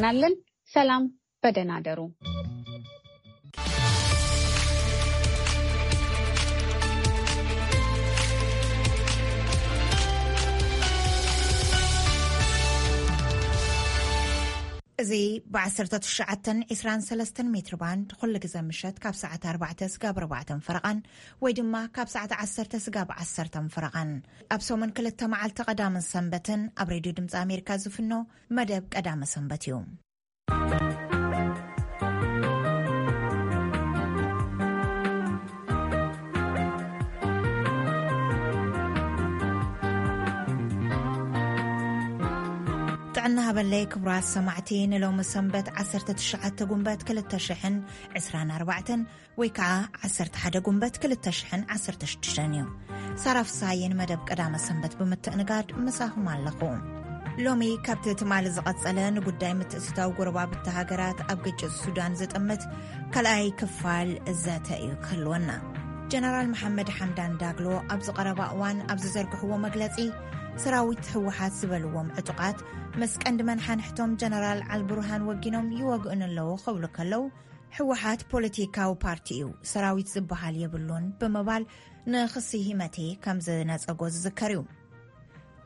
ናለን። ሰላም፣ በደህና ደሩ። እዚ ብ1923 ሜትር ባንድ ኩሉ ግዜ ምሸት ካብ ሰዓት ኣርባዕተ ስጋብ ኣርባዕተ ፈረቓን ወይ ድማ ካብ ሰዓት ዓሰርተ ስጋብ ዓሰርተ ፈረቓን ኣብ ሰሙን ክልተ መዓልቲ ቀዳምን ሰንበትን ኣብ ሬድዮ ድምፂ ኣሜሪካ ዝፍኖ መደብ ቀዳመ ሰንበት እዩ። ጥዕና ሃበለይ ክቡራት ሰማዕቲ፣ ንሎሚ ሰንበት ዓሰርተ ትሽዓተ ጉንበት ክልተ ሽሕን ዕስራን ኣርባዕተን ወይ ከዓ ዓሰርተ ሓደ ጉንበት ክልተ ሽሕን ዓሰርተ ሽዱሽተን እዩ። ሳራ ፍስሃየ ንመደብ ቀዳመ ሰንበት ብምትእንጋድ ምሳኹም ኣለኹ። ሎሚ ካብቲ ትማሊ ዝቐጸለ ንጉዳይ ምትእትታው ጎረባብቲ ሃገራት ኣብ ግጭት ሱዳን ዝጥምት ካልኣይ ክፋል ዘተ እዩ ክህልወና። ጀነራል መሓመድ ሓምዳን ዳግሎ ኣብ ዝቐረባ እዋን ኣብ ዝዘርግሕዎ መግለጺ፣ ሰራዊት ህወሓት ዝበልዎም ዕጡቓት ምስ ቀንዲ መናሓንሕቶም ጀነራል ኣልቡርሃን ወጊኖም ይወግኡን ኣለዉ ክብሉ ከለዉ፣ ህወሓት ፖለቲካዊ ፓርቲ እዩ፣ ሰራዊት ዝበሃል የብሉን ብምባል ንኽሲ ሂመቴ ከም ዝነጸጎ ዝዝከር እዩ።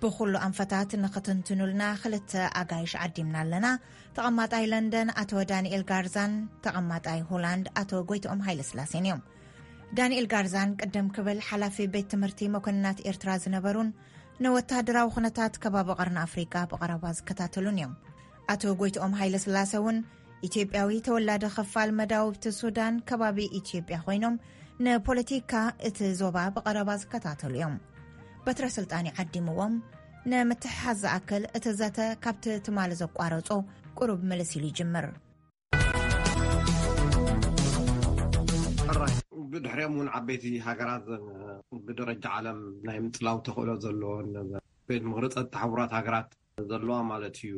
ብኹሉ ኣንፈታት ንኽትንትኑልና ክልተ ኣጋይሽ ዓዲምና ኣለና። ተቐማጣይ ለንደን ኣቶ ዳንኤል ጋርዛን ተቐማጣይ ሆላንድ ኣቶ ጎይትኦም ሃይለስላሴን እዮም። ዳንኤል ጋርዛን ቅድም ክብል ሓላፊ ቤት ትምህርቲ መኮንናት ኤርትራ ዝነበሩን ንወታደራዊ ኩነታት ከባቢ ቀርኒ ኣፍሪቃ ብቐረባ ዝከታተሉን እዮም። ኣቶ ጎይትኦም ሃይለስላሰ እውን ኢትዮጵያዊ ተወላዲ ክፋል መዳውብቲ ሱዳን ከባቢ ኢትዮጵያ ኮይኖም ንፖለቲካ እቲ ዞባ ብቐረባ ዝከታተሉ እዮም። በትረ ስልጣን ይዓዲምዎም። ንምትሕሓዝ ዝኣክል እቲ ዘተ ካብቲ ትማሊ ዘቋረጾ ቁሩብ ምልስ ኢሉ ይጅምር። ብድሕሪኦም እውን ዓበይቲ ሃገራት ብደረጃ ዓለም ናይ ምጽላው ተኽእሎ ዘለዎን ቤት ምኽሪ ጸጥታ ሕቡራት ሃገራት ዘለዋ ማለት እዩ።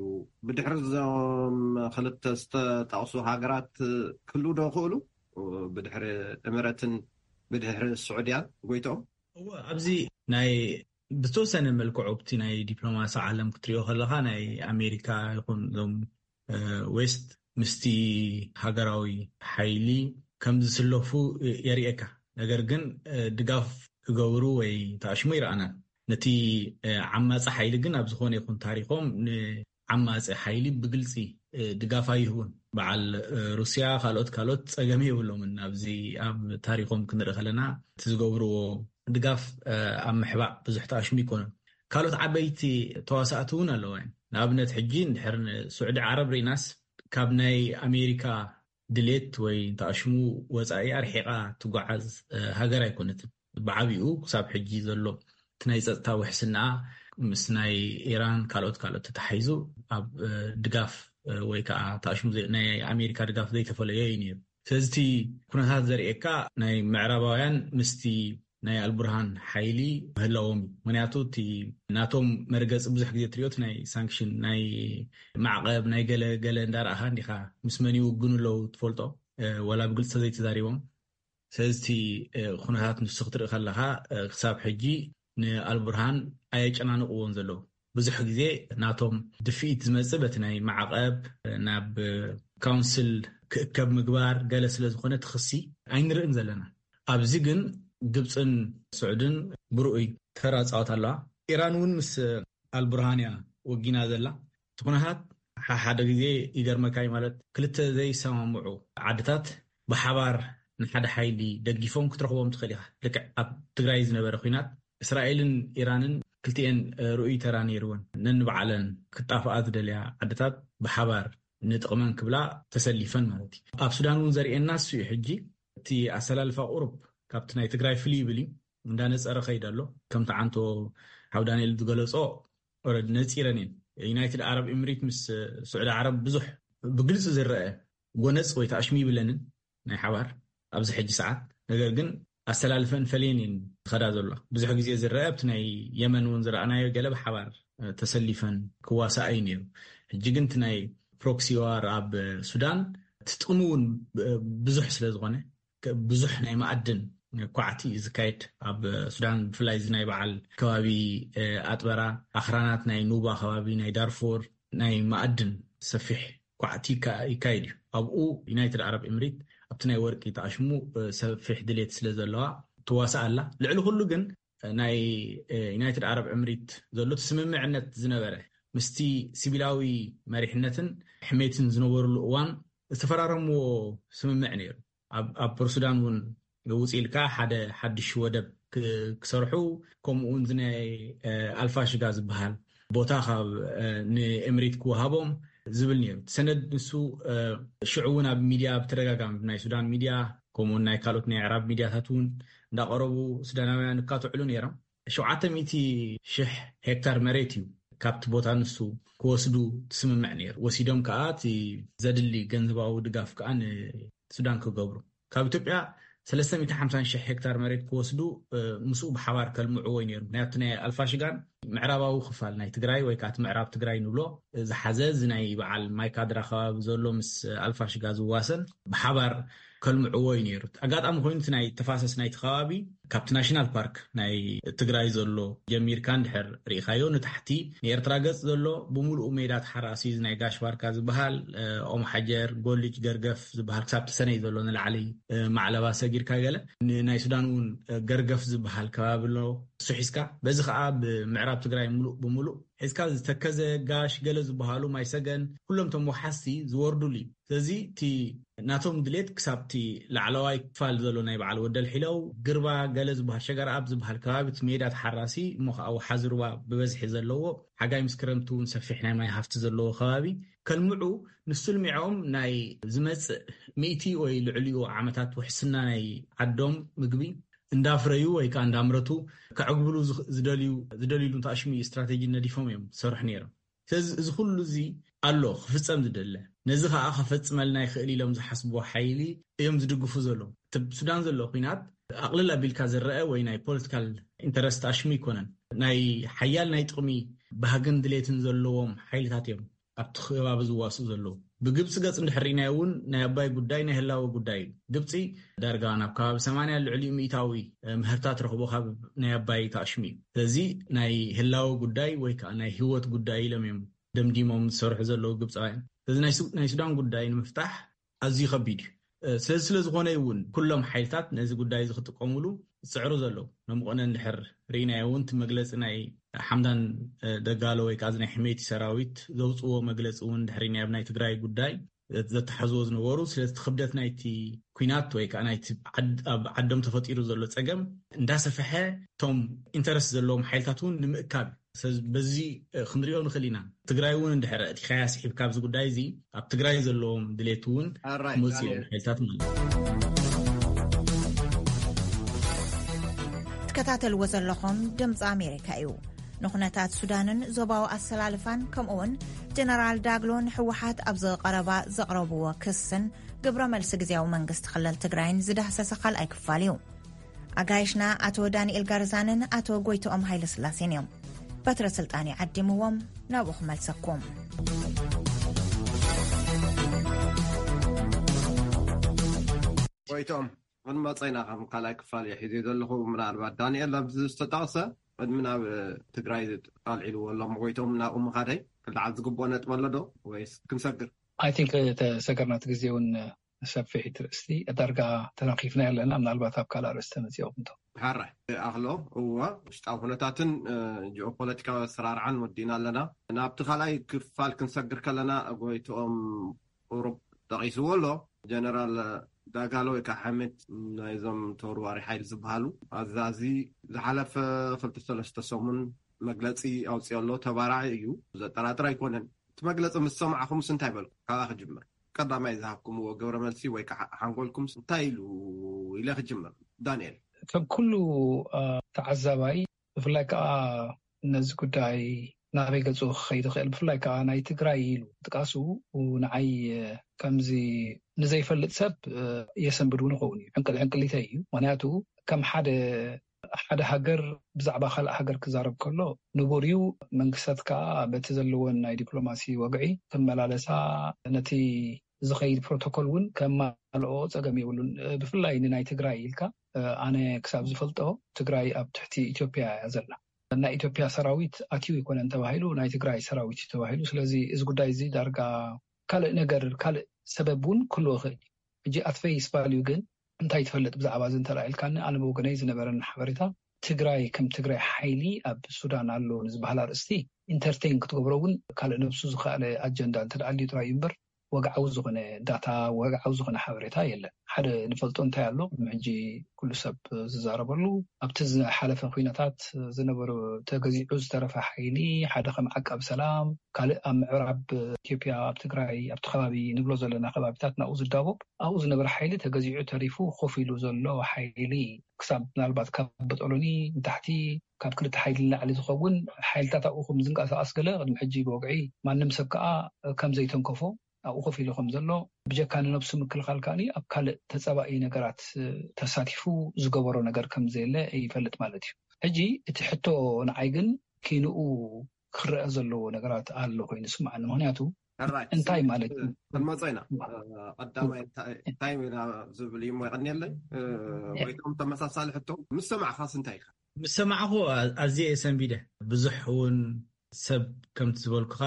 ብድሕሪ እዞም ክልተ ዝተጠቕሱ ሃገራት ክህልዉ ዶ ይኽእሉ? ብድሕሪ እምረትን ብድሕሪ ስዑድያን ጎይትኦም? እወ፣ ኣብዚ ናይ ብዝተወሰነ መልክዑ ኣብቲ ናይ ዲፕሎማሲ ዓለም ክትሪኦ ከለኻ ናይ ኣሜሪካ ይኹን እዞም ዌስት ምስቲ ሃገራዊ ሓይሊ ከም ዝስለፉ የርእየካ። ነገር ግን ድጋፍ ክገብሩ ወይ ተኣሽሙ ይረኣናን። ነቲ ዓማፂ ሓይሊ ግን ኣብ ዝኾነ ይኹን ታሪኾም ንዓማፂ ሓይሊ ብግልፂ ድጋፍ ኣይህቡን። በዓል ሩስያ ካልኦት ካልኦት ፀገም የብሎምን። ኣብዚ ኣብ ታሪኾም ክንርኢ ከለና እቲ ዝገብርዎ ድጋፍ ኣብ ምሕባእ ብዙሕ ተኣሽሙ ይኮኑን። ካልኦት ዓበይቲ ተዋሳእቲ እውን ኣለዋ። ንኣብነት ሕጂ እንድሕር ንስዑዲ ዓረብ ርኢናስ ካብ ናይ ኣሜሪካ ድሌት ወይ ተኣሽሙ ወፃኢ ኣርሒቓ ትጓዓዝ ሃገር ኣይኮነትን። ብዓቢኡ ክሳብ ሕጂ ዘሎ እቲ ናይ ፀጥታ ውሕስና ምስ ናይ ኢራን ካልኦት ካልኦት ተታሒዙ ኣብ ድጋፍ ወይ ከዓ ተኣሽሙ ናይ ኣሜሪካ ድጋፍ ዘይተፈለዮ እዩ ነይሩ። ስለዚ እቲ ኩነታት ዘርእየካ ናይ ምዕራባውያን ምስቲ ናይ ኣልቡርሃን ሓይሊ ምህላዎም እዩ። ምክንያቱ እቲ ናቶም መርገፂ ብዙሕ ግዜ ትሪኦ እቲ ናይ ሳንክሽን ናይ ማዕቐብ ናይ ገለ ገለ እንዳረኣኻ እንዲኻ ምስ መን ይውግኑ ኣለዉ ትፈልጦ ዋላ ብግልፂ ዘይተዛሪቦም። ስለዚ እቲ ኩነታት ንሱ ክትርኢ ከለኻ ክሳብ ሕጂ ንኣልቡርሃን ኣየጨናንቕዎን ዘለዉ። ብዙሕ ግዜ ናቶም ድፍኢት ዝመፅእ በቲ ናይ ማዕቐብ ናብ ካውንስል ክእከብ ምግባር ገለ ስለ ዝኾነ ትኽሲ ኣይንርእን ዘለና። ኣብዚ ግን ግብፅን ስዑድን ብርኡይ ተራ ፃወት ኣለዋ። ኢራን እውን ምስ ኣልቡርሃን እያ ወጊና ዘላ። እቲ ኩነታት ሓደ ግዜ ይገርመካ እዩ፣ ማለት ክልተ ዘይሰማምዑ ዓድታት ብሓባር ንሓደ ሓይሊ ደጊፎም ክትረኽቦም ትኽእል ኢኻ። ልክዕ ኣብ ትግራይ ዝነበረ ኩናት እስራኤልን ኢራንን ክልቲኤን ርኡይ ተራ ነይርወን። ነንባዕለን ክጣፍኣ ዝደልያ ዓድታት ብሓባር ንጥቕመን ክብላ ተሰሊፈን ማለት እዩ። ኣብ ሱዳን እውን ዘርእየና እሱ እዩ። ሕጂ እቲ ኣሰላልፋ ቁሩብ ካብቲ ናይ ትግራይ ፍልይ ይብል እዩ። እንዳነፀረ ከይድ ኣሎ። ከምቲ ዓንቶ ሓው ዳንኤል ዝገለፆ ኦረድ ነፂረን እየን። ዩናይትድ ዓረብ ኤምሬት ምስ ስዑዲ ዓረብ ብዙሕ ብግልፂ ዝረአ ጎነፅ ወይ ተኣሽሙ ይብለንን ናይ ሓባር ኣብዚ ሕጂ ሰዓት። ነገር ግን ኣሰላልፈን ፈለየን እየን ዝኸዳ ዘሎ። ብዙሕ ግዜ ዝረአ ኣብቲ ናይ የመን እውን ዝረኣናዮ ገለ ብሓባር ተሰሊፈን ክዋሳኣ እዩ ነይሩ። ሕጂ ግን እቲ ናይ ፕሮክሲ ዋር ኣብ ሱዳን እቲ ጥቕሚ እውን ብዙሕ ስለ ዝኾነ ብዙሕ ናይ መኣድን ኳዕቲ እዩ ዝካየድ ኣብ ሱዳን። ብፍላይ እዚ ናይ በዓል ከባቢ ኣጥበራ ኣኽራናት ናይ ኑባ ከባቢ ናይ ዳርፎር ናይ መኣድን ሰፊሕ ኳዕቲ ይካ- ይካየድ እዩ። ኣብኡ ዩናይትድ ዓረብ ኤምሬት ኣብቲ ናይ ወርቂ ተኣሽሙ፣ እ፣ ሰፊሕ ድሌት ስለ ዘለዋ ትዋሳእ ኣላ። ልዕሊ ኩሉ ግን፣ እ፣ ናይ፣ እ፣ ዩናይትድ ዓረብ ኤምሬት ዘሎ እቲ ስምምዕነት ዝነበረ ምስቲ ሲቪላዊ መሪሕነትን ሕሜትን ዝነበሩሉ እዋን ዝተፈራረምዎ ስምምዕ ነይሩ። ኣብ፣ ኣብ ፖርት ሱዳን እውን ውፅ ኢልካ ሓደ ሓድሽ ወደብ ክ- ክሰርሑ፣ ከምኡ እውን እዚ ናይ፣ እ፣ ኣልፋሽጋ ዝበሃል ቦታ ካብ፣ እ፣ ንኤምሬት ክወሃቦም ዝብል ነይሩ። እቲ ሰነድ ንሱ፣ እ፣ ሽዑ እውን ኣብ ሚድያ ብተደጋጋሚ ናይ ሱዳን ሚድያ ከምኡውን ናይ ካልኦት ናይ ኣዕራብ ሚድያታት እውን እንዳቐረቡ ሱዳናውያን ይካትዕሉ ነይሮም። ሸውዓተ ሚእቲ ሽሕ ሄክታር መሬት እዩ ካብቲ ቦታ ንሱ ክወስዱ ትስምምዕ ነይሩ። ወሲዶም ከዓ እቲ ዘድሊ ገንዘባዊ ድጋፍ ከዓ ንሱዳን ክገብሩ ካብ ኢትዮጵያ ሰለስተ ሚእቲ ሓምሳን ሽሕ ሄክታር መሬት ክወስዱ፣ እ፣ ምስኡ ብሓባር ከልምዕዎ እዩ ነይሩ። ምክንያቱ ናይ ኣልፋሽጋን ምዕራባዊ ክፋል ናይ ትግራይ ወይ ከዓ እቲ ምዕራብ ትግራይ ንብሎ ዝሓዘ እዚ ናይ በዓል ማይካድራ ከባቢ ዘሎ ምስ ኣልፋሽጋ ዝዋሰን ብሓባር ከልምዕዎ እዩ ነይሩ። ኣጋጣሚ ኮይኑ እቲ ናይ ተፋሰስ ናይቲ ከባቢ ካብቲ ናሽናል ፓርክ ናይ ትግራይ ዘሎ ጀሚርካ እንድሕር ርኢኻዮ ንታሕቲ ንኤርትራ ገጽ ዘሎ ብምሉኡ ሜዳ ተሓራሲ እዚ ናይ ጋሽ ባርካ ዝበሃል፣ እ፣ ኦም ሓጀር፣ ጎልጅ፣ ገርገፍ ዝበሃል ክሳብ ተሰነይ ዘሎ ንላዕሊ፣ እ፣ ማዕለባ ሰጊርካ ገለ ን-፣ ናይ ሱዳን እውን፣ እ፣ ገርገፍ ዝበሃል ከባቢ ኣሎ። እሱ ሒዝካ በዚ ከዓ ብምዕራብ ትግራይ ሙሉእ ብሙሉእ ሒዝካ ዝተከዘ ጋሽ ገለ ዝበሃሉ ማይ ሰገን ኩሎም ቶም ወሓዝቲ ዝወርዱሉ እዩ። ስለዚ እቲ ናቶም ድሌት ክሳብ እቲ ላዕለዋይ ክፋል ዘሎ ናይ በዓል ወደል ሒለው ግርባ ገለ ዝበሃል ሸገር ኣብ ዝበሃል ከባቢ እቲ ሜዳ ተሓራሲ እሞ ከዓ ወሓዚ ሩባ ብበዝሒ ዘለዎ ሓጋይ ምስ ክረምቲ እውን ሰፊሕ ናይ ማይ ሃፍቲ ዘለዎ ከባቢ ከልምዑ ንሱ ልሚዖም ናይ ዝመጽእ ሚእቲ ወይ ልዕሊኡ ዓመታት ውሕስና ናይ ዓዶም ምግቢ እንዳፍረዩ ወይ ከዓ እንዳምረቱ ከዕግብሉ ዝኽ- ዝደልዩ ዝደልዩሉ ተኣሽሙ ስትራቴጂ ነዲፎም እዮም ዝሰርሑ ነይሮም። ስለዚ እዚ ኩሉ እዚ ኣሎ ክፍጸም ዝደለ፣ ነዚ ከዓ ከፈጽመልና ይኽእል ኢሎም ዝሓስብዎ ሓይሊ እዮም ዝድግፉ ዘለዉ። እቲ ሱዳን ዘሎ ኩናት ኣቕልል ኣቢልካ ዝረአ ወይ ናይ ፖለቲካል ኢንተረስት ኣሽሙ ይኮነን። ናይ ሓያል ናይ ጥቕሚ ባህግን ድሌትን ዘለዎም ሓይልታት እዮም ኣብቲ ከባቢ ዝዋስኡ ዘለዉ። ብግብፂ ገፅ እንድሕር ርኢናዮ እውን ናይ ኣባይ ጉዳይ ናይ ህላወ ጉዳይ እዩ። ግብፂ ዳርጋ ናብ ከባቢ ሰማንያ ልዕሊኡ ሚእታዊ ምህርታ ትረኽቦ ካብ ናይ ኣባይ ተኣሽሙ እዩ። ስለዚ ናይ ህላወ ጉዳይ ወይ ከዓ ናይ ህይወት ጉዳይ ኢሎም እዮም ደምዲሞም ዝሰርሑ ዘለዉ ግብፃውያን። ስለዚ ናይ ሱ- ናይ ሱዳን ጉዳይ ንምፍታሕ ኣዝዩ ከቢድ እዩ። ስለዚ ስለ ዝኾነ እዩ እውን ኩሎም ሓይልታት ነዚ ጉዳይ እዚ ክጥቀሙሉ ዝፅዕሩ ዘለዉ። ነምቆነ እንድሕር ርኢናዮ እውን እቲ መግለፂ ናይ ሓምዳን ደጋሎ ወይ ከዓ እዚ ናይ ሕሜቲ ሰራዊት ዘውፅዎ መግለፂ እውን እንድሕር ርኢናዮ ኣብ ናይ ትግራይ ጉዳይ ዘተሓዝዎ ዝነበሩ። ስለዚ እቲ ክብደት ናይቲ ኩናት ወይ ከዓ ናይቲ ዓድ- ኣብ ዓዶም ተፈጢሩ ዘሎ ፀገም እንዳሰፈሐ እቶም ኢንተረስት ዘለዎም ሓይልታት እውን ንምእካብ። ስለዚ በዚ ክንሪኦ ንኽእል ኢና። ትግራይ እውን እንድሕር እቲ ከያስ ሒብ ካብዚ ጉዳይ እዚ ኣብ ትግራይ ዘለዎም ድሌት እውን ኣራይ፣ ክመፅኡ እዮም ዳንኤል። ሓይልታት ማለት እዩ። ትከታተልዎ ዘለኹም ድምፂ ኣሜሪካ እዩ። ንኩነታት ሱዳንን ዞባዊ ኣሰላልፋን ከምኡውን ጀነራል ዳግሎን ህወሓት ኣብ ዝቐረባ ዘቕረብዎ ክስን ግብረ መልሲ ግዜያዊ መንግስቲ ክልል ትግራይን ዝዳህሰሰ ካልኣይ ክፋል እዩ። ኣጋይሽና ኣቶ ዳንኤል ጋርዛንን ኣቶ ጎይቶኦም ሃይለስላሴን እዮም። በትረ ስልጣን ይዓዲምዎም ናብኡ ክመልሰኩም። ጎይቶም ቅድሚ መፀይና ከም ካልኣይ ክፋል እየ ሒዘ ዘለኹ። ምናልባት ዳንኤል ኣብዚ ዝተጠቕሰ ቅድሚ ናብ ትግራይ ኣልዒልዎ ኣሎ። ጎይቶም ናብኡ ምኻደይ ክልዓል ዝግብኦ ነጥቢ ኣሎ ዶ ወይስ ክንሰግር? I think ተሰገርና እቲ ግዜ እውን ሰፊሕ ትርእስቲ ዳርጋ ተነኺፍና ኣለና። ምናልባት ኣብ ካልእ ኣርእስቲ ተመፂኦ ክንቶ ሓራይ ኣኽሎ እዎ ውሽጣዊ ኩነታትን ጂኦፖለቲካዊ ኣሰራርዓን ወዲና ኣለና። ናብቲ ካልኣይ ክፋል ክንሰግር ከለና ጎይትኦም ቁሩብ ጠቒስዎ ኣሎ። ጀነራል ዳጋሎ ወይ ከዓ ሓመድ ናይዞም ተወርዋሪ ሓይሊ ዝበሃሉ ኣዛዚ ዝሓለፈ ክልተ ሰለስተ ሰሙን መግለፂ ኣውፅኦ ኣሎ። ተባራዒ እዩ፣ ዘጠራጥር ኣይኮነን። እቲ መግለፂ ምስ ሰማዕኹምስ እንታይ በልኩም? ካባኣ ክጅምር። ቀዳማይ ዝሃብኩምዎ ግብረ መልሲ ወይ ከዓ ሓንጎልኩምስ እንታይ ኢሉ ኢለ ክጅምር? ዳንኤል። ከም ኩሉ ተዓዛባይ ብፍላይ ከዓ ነዚ ጉዳይ ናበይ ገፁ ክኸይድ ይኽእል ብፍላይ ከዓ ናይ ትግራይ ኢሉ ጥቃሱ ንዓይ ከምዚ ንዘይፈልጥ ሰብ የሰንብድ እውን ይኸውን እዩ። ዕንቅል ዕንቅሊተይ እዩ። ምክንያቱ ከም ሓደ ሓደ ሃገር ብዛዕባ ካልእ ሃገር ክዛረብ ከሎ ንቡር እዩ። መንግስታት ከዓ በቲ ዘለወን ናይ ዲፕሎማሲ ወግዒ ክመላለሳ ነቲ ዝኸይድ ፕሮቶኮል እውን ከማልኦ ፀገም የብሉን። ብፍላይ ንናይ ትግራይ ኢልካ ኣነ ክሳብ ዝፈልጦ ትግራይ ኣብ ትሕቲ ኢትዮጵያ እያ ዘላ። ናይ ኢትዮጵያ ሰራዊት ኣትዩ ኣይኮነን ተባሂሉ ናይ ትግራይ ሰራዊት እዩ ተባሂሉ። ስለዚ እዚ ጉዳይ እዚ ዳርጋ ካልእ ነገር፣ ካልእ ሰበብ እውን ክህልዎ ይኽእል እዩ። ሕጂ ኣት ፌስ ቫልዩ ግን እንታይ ትፈልጥ ብዛዕባ እዚ እንተልኢልካኒ፣ ኣነ ብወገነይ ዝነበረን ሓበሬታ፣ ትግራይ ከም ትግራይ ሓይሊ ኣብ ሱዳን ኣሎ ንዝበሃል ኣርእስቲ ኢንተርቴን ክትገብሮ እውን ካልእ ነብሱ ዝኸኣለ ኣጀንዳ እንተደኣ ኣልዩ ጥራይ እዩ እምበር፣ ወግዓዊ ዝኾነ ዳታ፣ ወግዓዊ ዝኾነ ሓበሬታ የለን። ሓደ ንፈልጦ እንታይ ኣሎ፣ ቅድሚ ሕጂ ኩሉ ሰብ ዝዛረበሉ፣ ኣብቲ ዝሓለፈ ኩነታት ዝነበሩ፣ ተገዚዑ ዝተረፈ ሓይሊ፣ ሓደ ከም ዓቃብ ሰላም፣ ካልእ ኣብ ምዕራብ ኢትዮጵያ፣ ኣብ ትግራይ፣ ኣብቲ ከባቢ ንብሎ ዘለና ከባቢታት ናብኡ ዝዳቦብ፣ ኣብኡ ዝነበረ ሓይሊ ተገዚዑ ተሪፉ ኮፍ ኢሉ ዘሎ ሓይሊ፣ ክሳብ ምናልባት ካብ በጦሎኒ ንታሕቲ፣ ካብ ክልተ ሓይሊ ንላዕሊ ዝኸውን ሓይልታት ኣብኡ ከም ዝንቀሳቐስ ገለ ቅድሚ ሕጂ ብወግዒ ማንም ሰብ ከኣ ከም ዘይተንከፎ ኣብኡ ኮፍ ኢሉ ከም ዘሎ፣ ብጀካ ንነብሱ ምክልኻል ከኣ ኣብ ካልእ ተጸባኢ ነገራት ተሳቲፉ ዝገበሮ ነገር ከም ዘየለ ይፈልጥ ማለት እዩ። ሕጂ እቲ ሕቶ ንዓይ ግን ኪንኡ ክረአ ዘለዎ ነገራት ኣሎ ኮይኑ ይስምዓኒ። ምኽንያቱ ሕራይ፣ እንታይ ስምዒት ማለት እዩ? ክንመጾ ኢና። ዋ። እ፣ ቀዳማይ እንታይ፣ እንታይ ኢና ዝብል እዩ እሞ የቐንየለይ። እ፣ እ። ጎይቶም ተመሳሳሊ ሕቶ ምስ ሰማዕኻስ እንታይ ኢኻ? ምስ ሰማዕኹ ኣ-፣ ኣዝየ እየ ሰንቢደ። ብዙሕ እውን ሰብ ከምቲ ዝበልኩኻ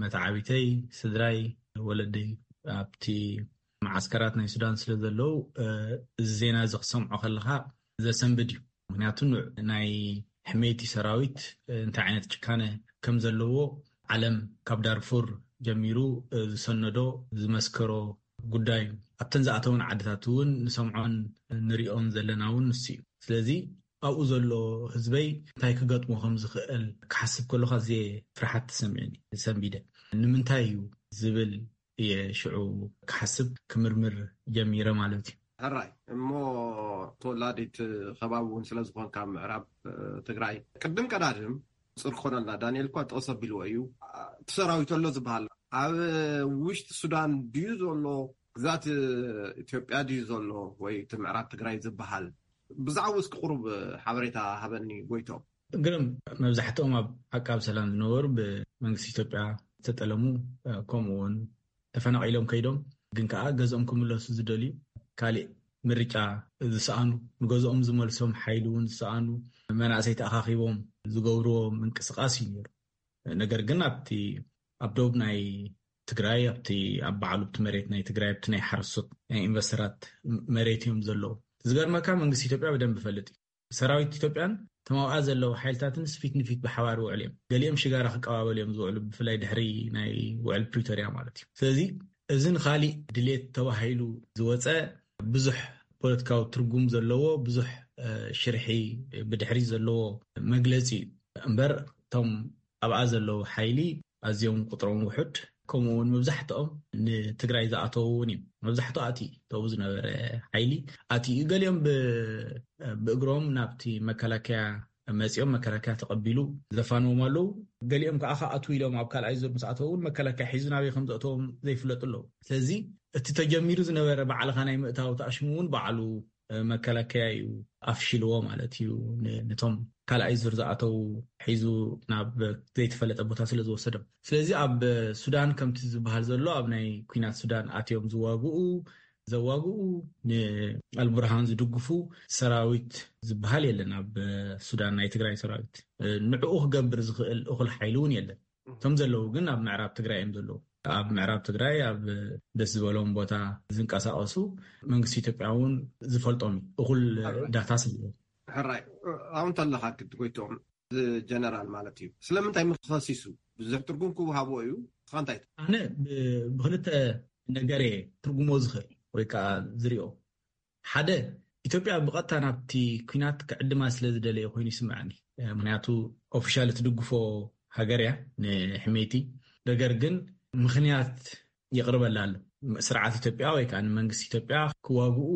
መተዓቢተይ፣ ስድራይ፣ ወለደይ ኣብቲ መዓስከራት ናይ ሱዳን ስለ ዘለዉ፣ እ፣ እዚ ዜና እዚ ክሰምዖ ከለኻ ዘሰንብድ እዩ። ምኽንያቱ ን-፣ ናይ ሕመይቲ ሰራዊት፣ እ፣ እንታይ ዓይነት ጭካነ ከም ዘለዎ ዓለም ካብ ዳርፉር ጀሚሩ፣ እ፣ ዝሰነዶ ዝመስከሮ ጉዳይ እዩ። ኣብተን ዝኣተውን ዓድታት እውን ንሰምዖን ንሪኦን ዘለና እውን ንሱ እዩ። ስለዚ ኣብኡ ዘሎ ህዝበይ እንታይ ክገጥሞ ከም ዝኽእል ክሓስብ ከለኹ ኣዝየ ፍርሓት ተሰሚዑኒ፣ ሰንቢደ። ንምንታይ እዩ ዝብል እየ ሽዑ ክሓስብ ክምርምር ጀሚረ ማለት እዩ። ሕራይ እሞ ተወላዲት ከባቢ እውን ስለ ዝኾንካ ምዕራብ፣ እ፣ ትግራይ ቅድም ቀዳድም ጽር ክኾነልና ዳንኤል እኳ ጠቕስ ኣቢልዎ እዩ። እቲ ሰራዊት ኣሎ ዝበሃል ኣብ ውሽጢ ሱዳን ድዩ ዘሎ፣ ግዛት ኢትዮጵያ ድዩ ዘሎ፣ ወይ እቲ ምዕራብ ትግራይ ዝበሃል? ብዛዕባኡ እስኪ ቁሩብ ሓበሬታ ሃበኒ ጎይቶም። ግርም፣ መብዛሕትኦም ኣብ ዓቃብ ሰላም ዝነበሩ ብመንግስቲ ኢትዮጵያ ዝተጠለሙ፣ እ፣ ከምኡ እውን ተፈናቒሎም ከይዶም፣ ግን ከኣ ገዝኦም ክምለሱ ዝደልዩ፣ ካሊእ ምርጫ ዝሰኣኑ፣ ንገዝኦም ዝመልሶም ሓይሊ እውን ዝሰኣኑ መናእሰይ ተኣኻኺቦም ዝገብርዎ ምንቅስቓስ እዩ ነይሩ። ነገር ግን ኣብቲ፣ ኣብ ደቡብ ናይ ትግራይ፣ ኣብቲ፣ ኣብ ባዕሉ ኣብቲ መሬት ናይ ትግራይ፣ ኣብቲ ናይ ሓረስቶት፣ ናይ ኢንቨስተራት መሬት እዮም ዘለዉ። ዝገርመካ መንግስቲ ኢትዮጵያ ብደንብ ይፈልጥ እዩ። ሰራዊት ኢትዮጵያን እቶም ኣብኣ ዘለዉ ሓይልታትን ፊት ንፊት ብሓባር ይውዕሉ እዮም። ገሊኦም ሽጋራ ክቀባበሉ እዮም ዝውዕሉ፣ ብፍላይ ድሕሪ ናይ ውዕል ፕሪቶርያ ማለት እዩ። ስለዚ እዚ ንኻሊእ ድሌት ተባሂሉ ዝወፀ ብዙሕ ፖለቲካዊ ትርጉም ዘለዎ፣ ብዙሕ፣ እ፣ ሽርሒ ብድሕሪት ዘለዎ መግለፂ እዩ። እምበር እቶም ኣብኣ ዘለዉ ሓይሊ ኣዝዮም ቁጥሮም ውሑድ፣ ከምኡ እውን መብዛሕትኦም ንትግራይ ዝኣተዉ እውን እዮም። መብዛሕትኡ ኣትዩ፣ ተብኡ ዝነበረ ሓይሊ ኣትዩ። ገሊኦም ብ-፣ ብእግሮም ናብቲ መከላከያ መጺኦም፣ መከላከያ ተቐቢሉ ዘፋንዎም ኣለዉ። ገሊኦም ከዓ ክኣትዉ ኢሎም ኣብ ካልኣይ ዙር ምስ ኣተዉ እውን መከላከያ ሒዙ ናበይ ከም ዘእተዎም ዘይፍለጡ ኣለዉ። ስለዚ እቲ ተጀሚሩ ዝነበረ ባዕልኻ ናይ ምእታው ተኣሽሙ እውን ባዕሉ መከላከያ እዩ ኣፍሽልዎ ማለት እዩ። ን-፣ ነቶም ካልኣይ ዙር ዝኣተዉ ሒዙ ናብ ዘይተፈለጠ ቦታ ስለ ዝወሰዶም። ስለዚ ኣብ ሱዳን ከምቲ ዝበሃል ዘሎ ኣብ ናይ ኲናት ሱዳን ኣትዮም ዝዋግኡ፣ ዘዋግኡ፣ ንኣልቡርሃን ዝድግፉ ሰራዊት ዝበሃል የለን ኣብ ሱዳን፣ ናይ ትግራይ ሰራዊት። ንዕኡ ክገብር ዝኽእል እኹል ሓይሊ እውን የለን። እቶም ዘለዉ ግን ኣብ ምዕራብ ትግራይ እዮም ዘለዉ። ኣብ ምዕራብ ትግራይ ኣብ ደስ ዝበሎም ቦታ ዝንቀሳቐሱ መንግስቲ ኢትዮጵያ እውን ዝፈልጦም እዩ። እኹል ሕራይ። ዳታ ስለ ሕራይ፣ ኣብኡ እንተለኻ ግዲ ጎይትኦም፣ ጀነራል ማለት እዩ። ስለምንታይ ምኸሲሱ? ብዙሕ ትርጉም ክወሃቦ እዩ። ንስኻ እንታይ ትብል? ኣነ ብ-፣ ብኽልተ ነገር እየ ትርጉሞ ዝኽእል ወይ ከዓ ዝሪኦ። ሓደ፣ ኢትዮጵያ ብቐጥታ ናብቲ ኲናት ክዕድማ ስለ ዝደለየ ኮይኑ ይስምዐኒ። ምኽንያቱ ኦፊሻል እትድግፎ ሃገር እያ ንሕሜቲ። ነገር ግን ምኽንያት የቕርበላ ኣሎ። ስርዓት ኢትዮጵያ ወይ ከዓ ንመንግስቲ ኢትዮጵያ ክዋግኡ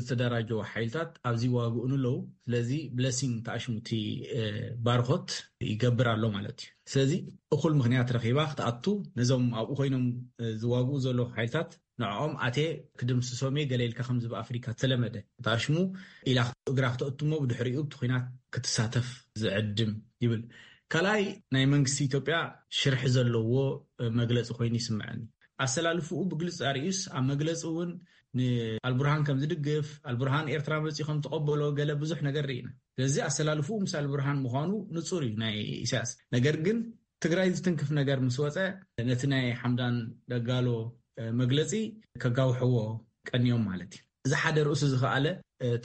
ዝተደራጀወ ሓይልታት ኣብዚ ይዋግኡን ኣለዉ። ስለዚ ብለሲንግ ተኣሽሙ እቲ፣ እ፣ ባርኾት ይገብር ኣሎ ማለት እዩ። ስለዚ እኹል ምኽንያት ረኺባ ክትኣቱ፣ ነዞም ኣብኡ ኮይኖም፣ እ፣ ዝዋግኡ ዘለዉ ሓይልታት ንዕኦም ኣትየ ክድምስሶም እየ ገለ ኢልካ ከምዚ ብኣፍሪካ ዝተለመደ ተኣሽሙ ኢላ እግራ ክተእቱ እሞ ብድሕሪኡ እቲ ኲናት ክትሳተፍ ዝዕድም ይብል። ካልኣይ ናይ መንግስቲ ኢትዮጵያ ሽርሒ ዘለዎ መግለፂ ኮይኑ ይስምዐኒ። ኣሰላልፍኡ ብግልፂ ኣርእዩስ ኣብ መግለፂ እውን ንኣልቡርሃን ከም ዝድግፍ፣ ኣልቡርሃን ኤርትራ መፂኡ ከም ተቐበሎ ገለ ብዙሕ ነገር ርኢና። ስለዚ ኣሰላልፍኡ ምስ ኣልቡርሃን ምዃኑ ንፁር እዩ ናይ ኢሳያስ። ነገር ግን ትግራይ ዝትንክፍ ነገር ምስ ወፀ፣ ነቲ ናይ ሓምዳን ደጋሎ መግለፂ ከጋውሕዎ ቀንዮም ማለት እዩ። እዚ ሓደ ርእሱ ዝኸኣለ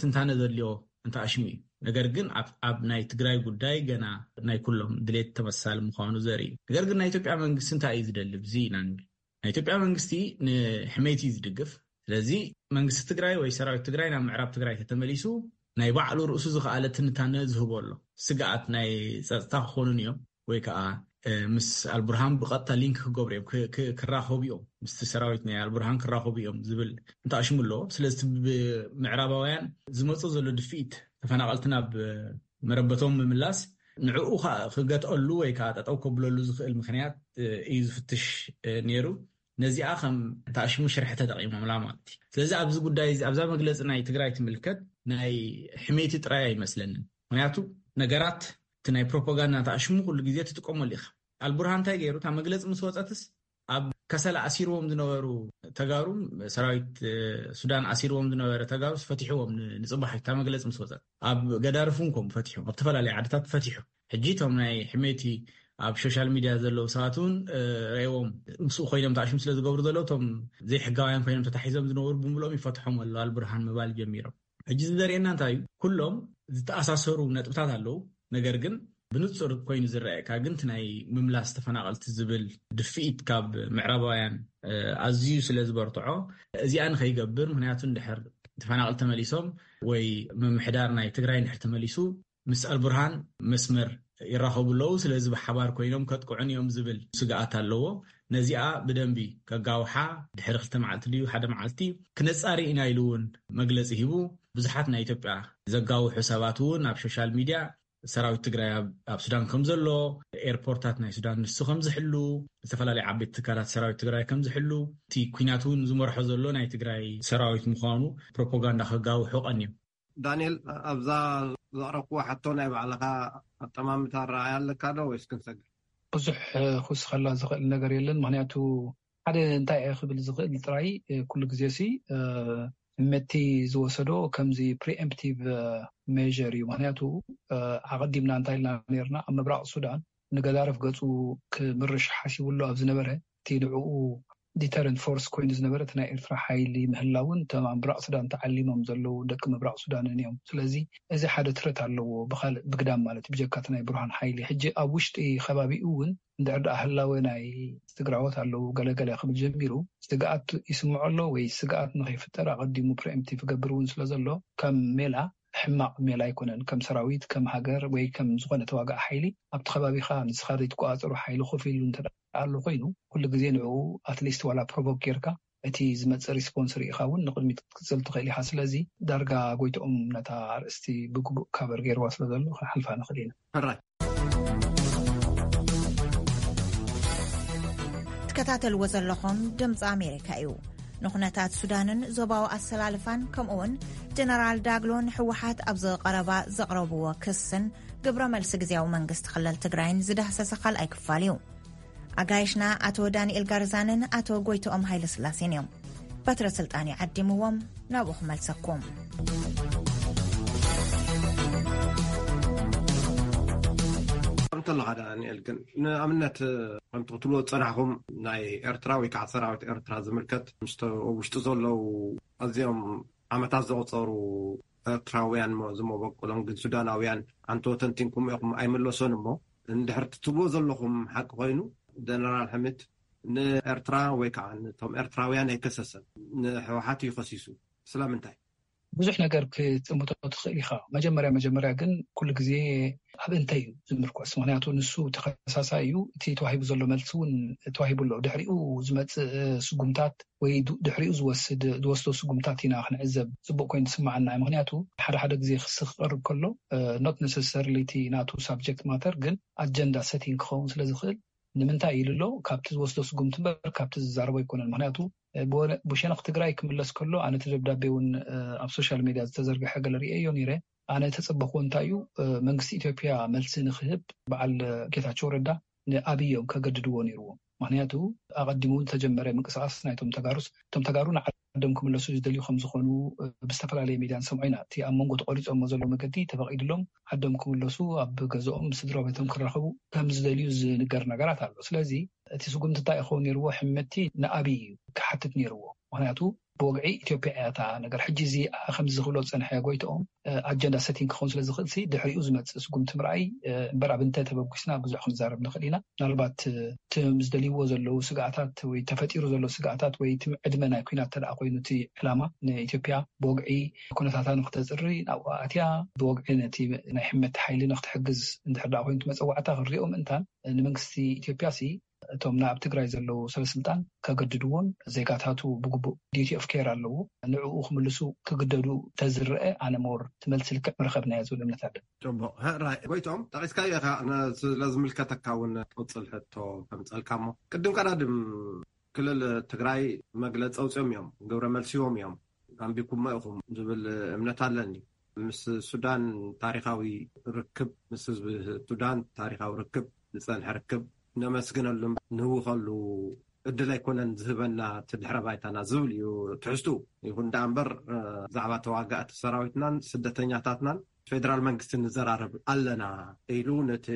ትንታነ ዘድልዮ እንተኣሽሙ እዩ። ነገር ግን ኣብ ናይ ትግራይ ጉዳይ ገና ናይ ኩሎም ድሌት ተመሳሳሊ ምዃኑ ዘርኢ እዩ። ነገር ግን ናይ ኢትዮጵያ መንግስቲ እንታይ እዩ ዝደሊ? እዚ ኢና ንብል። ናይ ኢትዮጵያ መንግስቲ ንሕመይቲ እዩ ዝድግፍ። ስለዚ መንግስቲ ትግራይ ወይ ሰራዊት ትግራይ ናብ ምዕራብ ትግራይ ተተመሊሱ ናይ ባዕሉ ርእሱ ዝኸኣለ ትንታነ ዝህቦ ኣሎ። ስግኣት ናይ ፀጥታ ክኾኑን እዮም ወይ ከዓ ምስ ኣልቡርሃን ብቐጥታ ሊንክ ክገብሩ እዮም፣ ክራኸቡ እዮም፣ ምስቲ ሰራዊት ናይ ኣልቡርሃን ክራኸቡ እዮም ዝብል እንተኣሽሙ ኣለዎ። ስለዚ ብምዕራባውያን ዝመፁ ዘሎ ድፍኢት ተፈናቐልቲ ናብ መረበቶም ምምላስ ንዕኡ ክገትአሉ ወይ ከዓ ጠጠው ከብለሉ ዝኽእል ምክንያት እዩ ዝፍትሽ ነይሩ። ነዚኣ ከም ተኣሽሙ ሽርሒ ተጠቂሞምላ ማለት እዩ። ስለዚ ኣብዚ ጉዳይ እዚ ኣብዛ መግለፂ ናይ ትግራይ ትምልከት ናይ ሕሜቲ ጥራይ ኣይመስለንን። ምክንያቱ ነገራት እቲ ናይ ፕሮፓጋንዳ ተኣሽሙ ኩሉ ግዜ ትጥቀመሉ ኢኻ። ኣልቡርሃን እንታይ ገይሩ? እታ መግለፂ ምስ ወፀትስ ኣብ ከሰላ ኣሲርዎም ዝነበሩ ተጋሩ፣ ሰራዊት ሱዳን ኣሲርዎም ዝነበረ ተጋሩ ፈቲሕዎም። ንፅባሕ እታ መግለፂ ምስ ወፀት ኣብ ገዳርፍ እውን ከም ፈቲሑ፣ ኣብ ዝተፈላለዩ ዓድታት ፈቲሑ። ሕጂ እቶም ናይ ሕሜቲ ኣብ ሶሻል ሚድያ ዘለዉ ሰባት እውን ረእዎም ምስኡ ኮይኖም ተኣሽሙ ስለ ዝገብሩ ዘለዉ እቶም ዘይሕጋውያን ኮይኖም ተታሒዞም ዝነበሩ ብምልኦም ይፈትሖም ኣሎ ኣልብርሃን ምባል ጀሚሮም። ሕጂ እዚ ዘርእየና እንታይ እዩ? ኩሎም ዝተኣሳሰሩ ነጥብታት ኣለዉ። ነገር ግን ብንጹር ኮይኑ ዝረኣየካ ግን እቲ ናይ ምምላስ ተፈናቐልቲ ዝብል ድፍኢት ካብ ምዕራባውያን ኣዝዩ ስለ ዝበርትዖ እዚኣ ንኸይገብር፣ ምክንያቱ እንድሕር ተፈናቐልቲ ተመሊሶም ወይ ምምሕዳር ናይ ትግራይ እንድሕር ተመሊሱ ምስ ኣልቡርሃን መስመር ይራኸቡ ኣለዉ። ስለዚ ብሓባር ኮይኖም ከጥቅዑን እዮም ዝብል ስግኣት ኣለዎ። ነዚኣ ብደንቢ ከጋውሓ ድሕሪ ክልተ መዓልቲ ድዩ ሓደ መዓልቲ ክነጻሪ ኢና ኢሉ እውን መግለፂ ሂቡ። ብዙሓት ናይ ኢትዮጵያ ዘጋውሑ ሰባት እውን ኣብ ሶሻል ሚድያ ሰራዊት ትግራይ ኣብ ሱዳን ከም ዘሎ፣ ኤርፖርታት ናይ ሱዳን ንሱ ከም ዝሕሉ፣ ዝተፈላለዩ ዓበይቲ ትካላት ሰራዊት ትግራይ ከም ዝሕሉ፣ እቲ ኩናት እውን ዝመርሖ ዘሎ ናይ ትግራይ ሰራዊት ምዃኑ ፕሮፓጋንዳ ከጋውሑ ቀንዮም። ዳንኤል፣ ኣብዛ ዘቕረብኩዎ ሕቶ ናይ ባዕልኻ ኣጠማምታ ኣረኣእያ ኣለካ ዶ ወይስ ክንሰግር? ብዙሕ ክውስኸላ ዝኽእል ነገር የለን። ምክንያቱ ሓደ እንታይ እየ ክብል ዝኽእል ጥራይ፣ ኩሉ ግዜ ሲ ሕመቲ ዝወሰዶ ከምዚ ፕሪኤምፕቲቭ ሜር እዩ። ምክንያቱ ኣቐዲምና እንታይ ኢልና ነርና፣ ኣብ ምብራቕ ሱዳን ንገዳርፍ ገፁ ክምርሽ ሓሲቡ ኣሎ ኣብ ዝነበረ፣ እቲ ንዕኡ ዲተረንት ፎርስ ኮይኑ ዝነበረ እቲ ናይ ኤርትራ ሓይሊ ምህላውን እቶም ኣብ ምብራቕ ሱዳን ተዓሊሞም ዘለዉ ደቂ ምብራቕ ሱዳንን እዮም። ስለዚ እዚ ሓደ ትረት ኣለዎ ብካልእ ብግዳም ማለት ብጀካ እቲ ናይ ብርሃን ሓይሊ። ሕጂ ኣብ ውሽጢ ከባቢኡ እውን እንድሕር ደኣ ህላወ ናይ ትግራዎት ኣለዉ ገለገለ ክብል ጀሚሩ ስግኣት ይስምዖ ኣሎ ወይ ስግኣት ንኸይፍጠር ኣቐዲሙ ፕሪኤምፕቲቭ ክገብር እውን ስለ ዘሎ ከም ሜላ ሕማቕ ሜላ ኣይኮነን። ከም ሰራዊት፣ ከም ሃገር ወይ ከም ዝኾነ ተዋጋኢ ሓይሊ ኣብቲ ከባቢኻ ንስኻ ዘይትቆጻጸሮ ሓይሊ ኮፍ ኢሉ እንተ ኣሎ ኮይኑ ኩሉ ግዜ ንዕኡ ኣትሊስት ዋላ ፕሮቮክ ጌርካ እቲ ዝመጽእ ሪስፖንስ ርኢኻ እውን ንቕድሚት ክትቅጽል ትኽእል ኢኻ። ስለዚ ዳርጋ ጎይትኦም ነታ ኣርእስቲ ብግቡእ ካቨር ገይርዋ ስለ ዘሎ ክንሓልፋ ንኽእል ኢና። ሕራይ። ትከታተልዎ ዘለኹም ድምፂ ኣሜሪካ እዩ። ንኩነታት ሱዳንን ዞባዊ ኣሰላልፋን ከምኡውን ጀነራል ዳግሎ ንሕወሓት ኣብ ዝቐረባ ዘቕረብዎ ክስን ግብረ መልሲ ግዜያዊ መንግስቲ ክልል ትግራይን ዝዳህሰሰ ካልኣይ ክፋል እዩ። ኣጋይሽና ኣቶ ዳንኤል ጋርዛንን ኣቶ ጎይትኦም ሃይለስላሴን እዮም። በትረ ስልጣን ይዓዲምዎም ናብኡ ክመልሰኩም። እንተለኻ ዳንኤል ግን ንኣብነት ከምቲ ክትብልዎ ዝፀናሕኹም ናይ ኤርትራ ወይ ከዓ ሰራዊት ኤርትራ ዝምልከት ምስቶ ውሽጢ ዘለዉ ኣዝዮም ዓመታት ዘቑፀሩ ኤርትራውያን ዝመበቁሎም ግን ሱዳናውያን ኣንቶ ተንቲንኩም ኢኹም ኣይምለሶን እሞ እንድሕር ትብልዎ ዘለኹም ሓቂ ኮይኑ ጀነራል ሕምድ ንኤርትራ ወይ ከዓ ነቶም ኤርትራውያን ኣይከሰሰን ንሕወሓት እዩ ከሲሱ ስለምንታይ? ብዙሕ ነገር ክትጥምቶ ትኽእል ኢኻ። መጀመርያ መጀመርያ ግን ኩሉ ግዜ ኣብ እንተ እዩ ዝምርኮስ። ምክንያቱ ንሱ ተኸሳሳይ እዩ። እቲ ተዋሂቡ ዘሎ መልሲ እውን ተዋሂቡ ኣሎ። ድሕሪኡ ዝመፅእ ስጉምታት ወይ ድሕሪኡ ዝወስድ ዝወስዶ ስጉምታት ኢና ክንዕዘብ ፅቡቅ ኮይኑ ዝስማዓና። ምክንያቱ ሓደ ሓደ ግዜ ክሲ ክቀርብ ከሎ not necessarily እቲ ናቱ ሳብጀክት ማተር ግን ኣጀንዳ ሰቲንግ ክኸውን ስለ ዝኽእል ንምንታይ ኢሉ ኣሎ ካብቲ ዝወስዶ ስጉምቲ እምበር ካብቲ ዝዛረቦ ኣይኮነን። ምክንያቱ ብሸነኽ ትግራይ ክምለስ ከሎ ኣነ እቲ ደብዳቤ እውን ኣብ ሶሻል ሚድያ ዝተዘርግሐ ገለ ርእየዮ ነይረ። ኣነ ተፀበኽዎ እንታይ እዩ መንግስቲ ኢትዮጵያ መልሲ ንክህብ በዓል ጌታቸው ረዳ ንኣብይ እዮም ከገድድዎ ነይርዎም። ምክንያቱ ኣቐዲሙ ዝተጀመረ ምንቅስቃስ ናይቶም ተጋሩስ፣ እቶም ተጋሩ ንዓዶም ክምለሱ ዝደልዩ ከም ዝኾኑ ብዝተፈላለየ ሚድያ ንሰምዖ ኢና። እቲ ኣብ መንጎ ተቆሪጾሞ ዘሎ መገዲ ተፈቒድሎም ዓዶም ክምለሱ፣ ኣብ ገዝኦም ስድራ ቤቶም ክራኸቡ ከም ዝደልዩ ዝንገር ነገራት ኣሎ። ስለዚ እቲ ስጉምቲ እንታይ ይኸውን ነይርዎ? ሕመቲ ንኣብይ እዩ ክሓትት ነይርዎ። ምክንያቱ ብወግዒ ኢትዮጵያ እያ እታ ነገር። ሕጂ እዚ ከምዚ ዝኽብሎ ዝጸንሐ ጎይትኦም ኣጀንዳ ሰቲንግ ክኸውን ስለ ዝኽእል ሲ ድሕሪኡ ዝመጽእ ስጉምቲ ምርኣይ እምበር ኣብ እንተ ተበጉስና ብዙሕ ክንዛረብ ንኽእል ኢና። ምናልባት እቶም ዝደልይዎ ዘለዉ ስግኣታት ወይ ተፈጢሩ ዘሎ ስግኣታት ወይ እቲ ዕድመ ናይ ኲናት ተደኣ ኮይኑ እቲ ዕላማ ንኢትዮጵያ ብወግዒ ኩነታታ ንክተጽሪ ናብኡ ኣትያ ብወግዒ ነቲ ናይ ሕመቲ ሓይሊ ንክትሕግዝ እንድሕር ደኣ ኮይኑ እቲ መጸዋዕታ ክንሪኦ ምእንታን ንመንግስቲ ኢትዮጵያ ሲ እቶም ናብ ትግራይ ዘለዉ ሰበስልጣን ከገድድዎን ዜጋታቱ ብግቡእ ዲቲ ኦፍ ኬር ኣለዎ ንዕኡ ክምልሱ ክግደዱ ተዝረአ ኣነ ሞር ትመልሲ ልክዕ ምረኸብናዮ ዝብል እምነት ኣለ። ጽቡቕ። ራይ ጎይቶም ጠቂስካዮ ኢኻ፣ ስለ ዝምልከተካ እውን ትቕጽል ሕቶ ከምጸልካ እሞ ቅድም ቀዳድም ክልል ትግራይ መግለጺ ኣውፅኦም እዮም፣ ግብረ መልሲ ሂቦም እዮም። ኣንቢብኩሞ ኢኹም ዝብል እምነት ኣለኒ። ምስ ሱዳን ታሪኻዊ ርክብ፣ ምስ ህዝቢ ሱዳን ታሪኻዊ ርክብ፣ ዝፀንሐ ርክብ ነመስግነሉን ንህውኸሉ እድል ኣይኮነን ዝህበና እቲ ድሕረ ባይታና ዝብል እዩ ትሕዝቱ። ይኹን ደኣ እምበር ብዛዕባ ተዋጋእቲ ሰራዊትናን ስደተኛታትናን ፌደራል መንግስቲ ንዘራረብ ኣለና ኢሉ ነቲ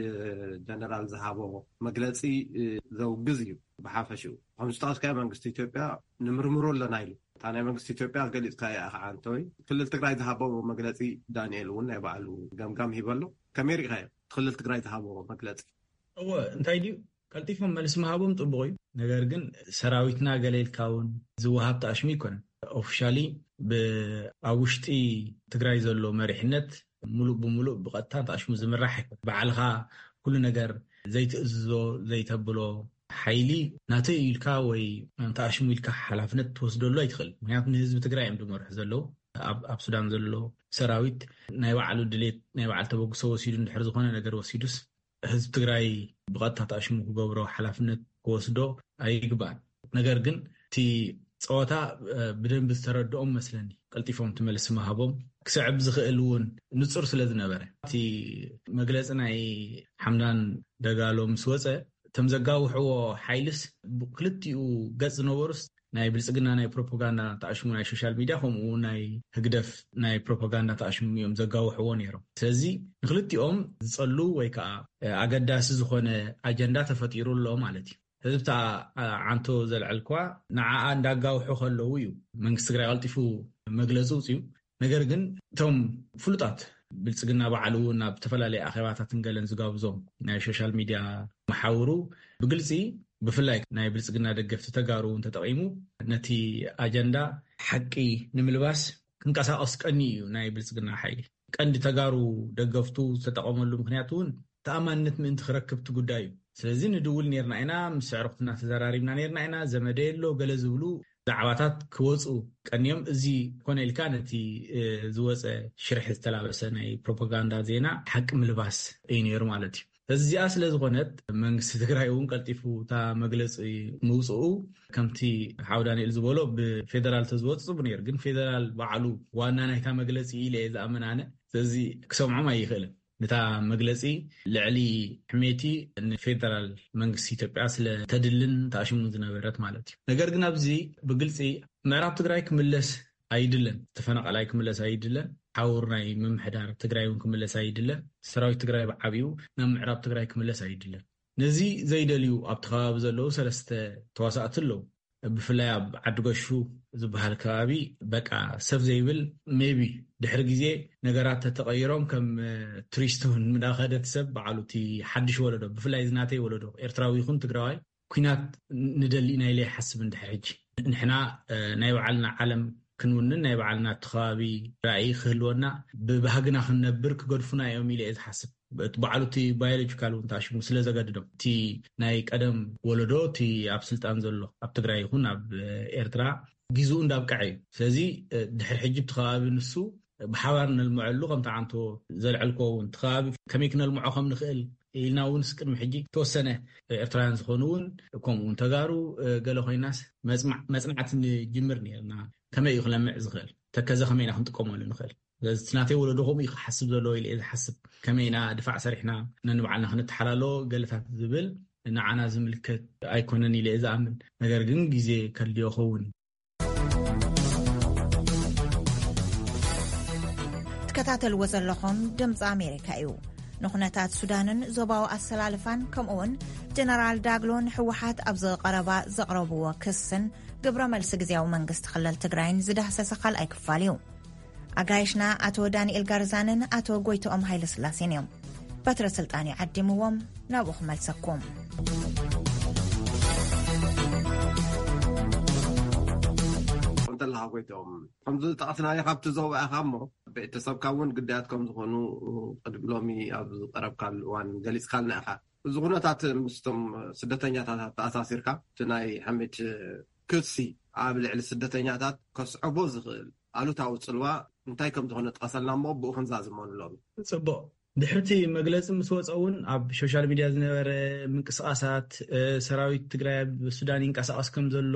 ጀነራል ዝሃቦ መግለፂ ዘውግዝ እዩ። ብሓፈሽኡ ከምዚ ጠቀስካዮ መንግስቲ ኢትዮጵያ ንምርምሮ ኣለና ኢሉ። እታ ናይ መንግስቲ ኢትዮጵያ ገሊፅካያ ኢኻ ዓንተወይ። ክልል ትግራይ ዝሃቦ መግለፂ ዳንኤል እውን ናይ ባዕሉ ገምጋም ሂበሎ። ከመይ ርኢኻዮ ክልል ትግራይ ዝሃቦ መግለፂ? እወ እንታይ ድዩ ቀልጢፎም መልሲ ምሃቦም ፅቡቅ እዩ። ነገር ግን ሰራዊትና ገለ ኢልካ እውን ዝወሃብ ተኣሽሙ ኣይኮነን። ኦፊሻሊ ኣብ ውሽጢ ትግራይ ዘሎ መሪሕነት ሙሉእ ብሙሉእ ብቐጥታ ተኣሽሙ ዝምራሕ ኣይኮነን። ባዕልኻ ኩሉ ነገር ዘይትእዝዞ ዘይተብሎ ሓይሊ ናተይ ኢልካ ወይ ተኣሽሙ ኢልካ ሓላፍነት ትወስደሉ ኣይትኽእል። ምክንያቱ ንህዝቢ ትግራይ እዮም ዝመርሑ ዘለዉ። ኣብ ሱዳን ዘሎ ሰራዊት ናይ ባዕሉ ድሌት ናይ ባዕሉ ተበግሶ ወሲዱ እንድሕር ዝኾነ ነገር ወሲዱስ ህዝቢ ትግራይ ብቐጥታ ተኣሽሙ ክገብሮ ሓላፍነት ክወስዶ ኣይግባእን። ነገር ግን እቲ ፀወታ ብደንቢ ዝተረድኦም መስለኒ ቀልጢፎም ትመልሲ ምሃቦም ክስዕብ ዝኽእል እውን ንፁር ስለ ዝነበረ እቲ መግለፂ ናይ ሓምዳን ደጋሎ ምስ ወፀ እቶም ዘጋውሕዎ ሓይልስ ክልቲኡ ገፅ ዝነበሩስ ናይ ብልፅግና ናይ ፕሮፓጋንዳ ተኣሽሙ ናይ ሶሻል ሚድያ ከምኡ ናይ ህግደፍ ናይ ፕሮፓጋንዳ ተኣሽሙ እዮም ዘጋውሕዎ ነይሮም። ስለዚ ንክልቲኦም ዝፀሉ ወይ ከዓ ኣገዳሲ ዝኾነ ኣጀንዳ ተፈጢሩ ኣሎ ማለት እዩ። ህዝብታ ዓንቶ ዘልዐልኳ ንዓኣ እንዳጋውሑ ከለዉ እዩ መንግስቲ ትግራይ ቀልጢፉ መግለፂ ውፅዩ። ነገር ግን እቶም ፍሉጣት ብልፅግና ባዕሉ እውን ናብ ዝተፈላለዩ ኣኼባታትን ገለን ዝጋብዞም ናይ ሶሻል ሚድያ መሓውሩ ብግልፂ ብፍላይ ናይ ብልፅግና ደገፍቲ ተጋሩ እውን ተጠቒሙ ነቲ ኣጀንዳ ሓቂ ንምልባስ ክንቀሳቀስ ቀኒ እዩ ናይ ብልፅግና ሓይሊ ቀንዲ ተጋሩ ደገፍቱ ዝተጠቐመሉ ምክንያት እውን ተኣማንነት ምእንቲ ክረክብ እቲ ጉዳይ እዩ። ስለዚ ንድውል ነርና ኢና፣ ምስ ኣዕሩኽትና ተዘራሪብና ነርና ኢና፣ ዘመደ የሎ ገለ ዝብሉ ዛዕባታት ክወፁ ቀንዮም። እዚ ኮነ ኢልካ ነቲ ዝወፀ ሽርሒ ዝተላበሰ ናይ ፕሮፓጋንዳ ዜና ሓቂ ምልባስ እዩ ነይሩ ማለት እዩ። እዚኣ ስለ ዝኾነት መንግስቲ ትግራይ እውን ቀልጢፉ እታ መግለፂ ምውፅኡ ከምቲ ሓው ዳንኤል ዝበሎ ብፌደራል ተዝወፅ ፅቡ ነይሩ። ግን ፌደራል ባዕሉ ዋና ናይታ መግለፂ ኢለ እየ ዝኣምን ኣነ። ስለዚ ክሰምዖም ኣይኽእልን። ነታ መግለፂ ልዕሊ ሕሜቲ ንፌደራል መንግስቲ ኢትዮጵያ ስለ ተድልን ተኣሽሙ ዝነበረት ማለት እዩ። ነገር ግን ኣብዚ ብግልፂ ምዕራብ ትግራይ ክምለስ ኣይድለን፣ ተፈናቃላይ ክምለስ ኣይድለን፣ ሓውር ናይ ምምሕዳር ትግራይ እውን ክምለስ ኣይድለን፣ ሰራዊት ትግራይ ብዓብኡ ናብ ምዕራብ ትግራይ ክምለስ ኣይድለን። ነዚ ዘይደልዩ ኣብቲ ከባቢ ዘለዉ ሰለስተ ተዋሳእቲ ኣለዉ። ብፍላይ ኣብ ዓዲ ጎሹ ዝበሃል ከባቢ በቃ ሰብ ዘይብል maybe ድሕሪ ግዜ ነገራት ተተቐይሮም ከም ቱሪስት እውን ምዳኸደት ሰብ በዓሉ እቲ ሓድሽ ወለዶ ብፍላይ ዝናተይ ወለዶ ኤርትራዊ ይኹን ትግራዋይ ኩናት ንደሊ ኢና ኢለ ይሓስብ እንድሕር ሕጂ ንሕና ናይ ባዕልና ዓለም ክንውንን ናይ ባዕልና እቲ ከባቢ ራእይ ክህልወና ብባህግና ክንነብር ክገድፉና እዮም ኢለ እየ ዝሓስብ። በዓሉ እቲ ባዮሎጂካል እውን ተኣሽሙ ስለ ዘገድዶም እቲ ናይ ቀደም ወለዶ እቲ ኣብ ስልጣን ዘሎ ኣብ ትግራይ ይኹን ኣብ ኤርትራ ጊዝኡ እንዳብቅዐ እዩ። ስለዚ ድሕሪ ሕጂ እቲ ከባቢ ንሱ ብሓባር ነልምዐሉ ከምቲ ዓንቶ ዘልዐልኮ እውን እቲ ከባቢ ከመይ ክነልምዖ ከም ንኽእል ኢልና እውን ቅድሚ ሕጂ ተወሰነ ኤርትራውያን ዝኾኑ እውን ከምኡ እውን ተጋሩ ገለ ኮይናስ መፅናዕቲ ንጅምር ነርና። ከመይ እዩ ክለምዕ ዝኽእል ተከዘ ከመይ ኢና ክንጥቀመሉ ንኽእል? ስለዚ ናተይ ወለዶ ከምኡ እዩ ክሓስብ ዘለዎ ኢለ እየ ዝሓስብ። ከመይ ኢና ድፋዕ ሰሪሕና ነንባዕልና ክንተሓላሎ ገለታት ዝብል ንዓና ዝምልከት ኣይኮነን ኢለ እየ ዝኣምን። ነገር ግን ግዜ ከድልዮ ኸውን። ትከታተልዎ ዘለኹም ድምፂ ኣሜሪካ እዩ። ንኹነታት ሱዳንን ዞባዊ ኣሰላልፋን፣ ከምኡውን ጀነራል ዳግሎ ንህወሓት ኣብ ዝቐረባ ዘቕረብዎ ክስን ግብረ መልሲ ግዝያዊ መንግስቲ ክልል ትግራይን ዝዳህሰሰ ካልኣይ ክፋል እዩ። ኣጋይሽና ኣቶ ዳንኤል ጋርዛንን ኣቶ ጎይቶኦም ሃይለስላሴን እዮም። በትረ ስልጣን ይዓዲምዎም፣ ናብኡ ክመልሰኩም። እንተለኻ ጎይቶም፣ ከምዚ ዝጠቐስናዮ ካብቲ ዞባ ኢኻ እሞ፣ ቤተሰብካ እውን ግዳያት ከም ዝኾኑ ቅድሚ ሎሚ ኣብ ዝቐረብካሉ እዋን ገሊጽካልና ኢኻ። እዚ ኩነታት ምስቶም ስደተኛታት ተኣሳሲርካ፣ እቲ ናይ ሕሜት ክሲ ኣብ ልዕሊ ስደተኛታት ከስዕቦ ዝኽእል ኣሉታዊ ጽልዋ እንታይ ከም ዝኾነ ጥቀሰልና እሞ፣ ብኡ ክንዛዝመሉ ሎሚ። ጽቡቕ። ድሕርቲ መግለጺ ምስ ወጸ እውን፣ ኣብ ሶሻል ሚድያ ዝነበረ ምንቅስቓሳት፣ እ፣ ሰራዊት ትግራይ ኣብ ሱዳን ይንቀሳቐስ ከም ዘሎ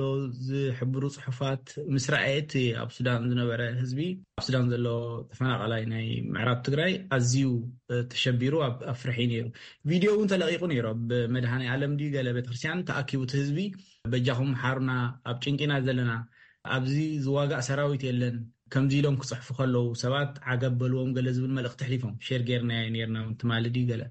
ዝሕብሩ ጽሑፋት ምስ ረኣየ፣ እቲ ኣብ ሱዳን ዝነበረ ህዝቢ፣ ኣብ ሱዳን ዘሎ ተፈናቓላይ ናይ ምዕራብ ትግራይ ኣዝዩ፣ እ፣ ተሸቢሩ ኣብ፣ ኣብ ፍርሒ ነይሩ። ቪድዮ እውን ተለቒቑ ነይሩ። ኣብ መድሃኔ ዓለም ድዩ ገለ ቤተክርስትያን ተኣኪቡ እቲ ህዝቢ፣ "በጃኹም ሓሩና፣ ኣብ ጭንቂና ዘለና፣ ኣብዚ ዝዋጋእ ሰራዊት የለን፣ ከምዚ ኢሎም ክጽሕፉ ከለዉ ሰባት ዓገብ በልዎም" ገለ ዝብል መልእኽቲ ኣሕሊፎም። ሼር ጌርናዮ ኔርና እውን ትማሊ ድዩ ገለ።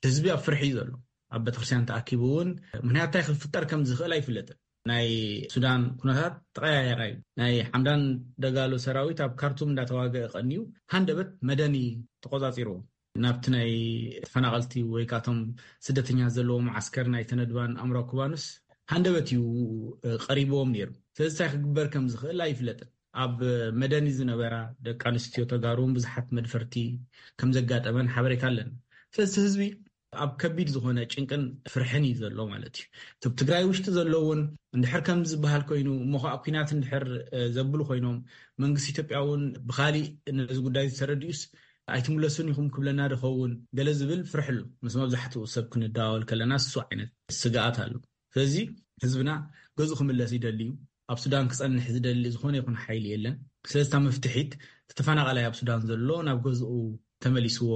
ህዝቢ ኣብ ፍርሒ እዩ ዘሎ። ኣብ ቤተክርስትያን ተኣኪቡ እውን፣ ምኽንያት እንታይ ክፍጠር ከም ዝኽእል ኣይፍለጥን። ናይ ሱዳን ኩነታት ተቐያየራ እዩ። ናይ ሓምዳን ደጋሎ ሰራዊት ኣብ ካርቱም እንዳተዋገአ ቀንዩ፣ ሃንደበት መደኒ ተቆጻጺርዎ። ናብቲ ናይ ተፈናቐልቲ ወይ ካቶም ስደተኛ ዘለዎ መዓስከር ናይ ተነድባን ኣምራ ኩባኑስ ሃንደበት እዩ፣ እ፣ ቀሪብዎም ነይሩ። ስለዚ እንታይ ክግበር ከም ዝኽእል ኣይፍለጥን። ኣብ መደኒ ዝነበራ ደቂ ኣንስትዮ ተጋሩ እውን ብዙሓት መድፈርቲ ከም ዘጋጠመን ሓበሬታ ኣለና። ስለዚ ህዝቢ ኣብ ከቢድ ዝኾነ ጭንቅን ፍርሕን እዩ ዘሎ ማለት እዩ። እቲ ኣብ ትግራይ ውሽጢ ዘሎ እውን እንድሕር ከም ዝበሃል ኮይኑ፣ እሞ ኸዓ ኲናት እንድሕር፣ እ፣ ዘብሉ ኮይኖም፣ መንግስቲ ኢትዮጵያ እውን ብኻሊእ ነዚ ጉዳይ ዝተረድኡስ ኣይትምለሱን ኢኹም ክብለና ድኸውን ገለ ዝብል ፍርሒ ኣሎ። ምስ መብዛሕትኡ ሰብ ክንደዋወል ከለና እሱ ዓይነት ስግኣት ኣሎ። ስለዚ ህዝብና ገዝኡ ክምለስ ይደሊ እዩ። ኣብ ሱዳን ክጸንሕ ዝደሊ ዝኾነ ይኹን ሓይሊ የለን። ስለዚ እታ መፍትሒት፣ እቲ ተፈናቓላይ ኣብ ሱዳን ዘሎ ናብ ገዝኡ ተመሊስዎ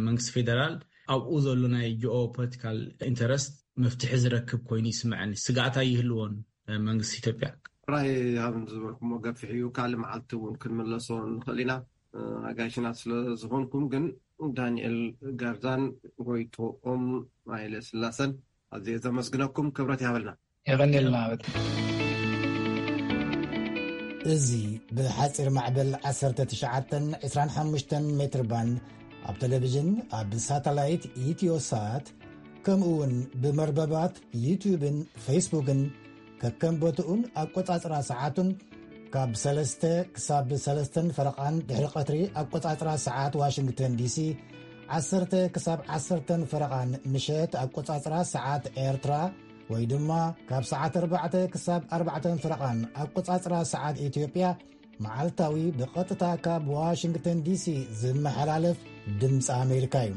መንግስቲ ፌደራል ኣብኡ ዘሎ ናይ ጂኦ ፖለቲካል ኢንተረስት መፍትሒ ዝረክብ ኮይኑ ይስምዐኒ። ስግኣት ኣይህልዎን መንግስቲ ኢትዮጵያ። ጥራይ ሃብ ዝበልኩሞ ገፊሕ እዩ። ካልእ መዓልቲ እውን ክንምለሶ ንኽእል ኢና። ኣጋይሽና ስለ ዝኾንኩም ግን ዳንኤል ጋርዛን ጎይቶኦም ሃይለ ስላሰን ኣዝየ ዘመስግነኩም። ክብረት ይሃበልና። የቐንየልና። እዚ ብሓጺር ማዕበል ዓሰርተ ትሽዓተን ዕስራን ሓሙሽተን ሜትር ባንድ ኣብ ቴሌቪዥን፣ ኣብ ሳተላይት ኢትዮሳት፣ ከምኡ እውን ብመርበባት ዩትዩብን ፌስቡክን፣ ከከም ቦትኡን ኣቆጻጽራ ሰዓቱን፣ ካብ ሰለስተ ክሳብ ሰለስተን ፈረቓን ድሕሪ ቀትሪ ኣቆጻጽራ ሰዓት ዋሽንግተን ዲሲ፣ ዓሰርተ ክሳብ ዓሰርተን ፈረቓን ምሸት ኣቆጻጽራ ሰዓት ኤርትራ፣ ወይ ድማ ካብ ሰዓት ኣርባዕተ ክሳብ ኣርባዕተን ፈረቓን ኣቆጻጽራ ሰዓት ኢትዮጵያ፣ መዓልታዊ ብቐጥታ ካብ ዋሽንግተን ዲሲ ዝመሓላለፍ ድምፂ ኣሜሪካ እዩ።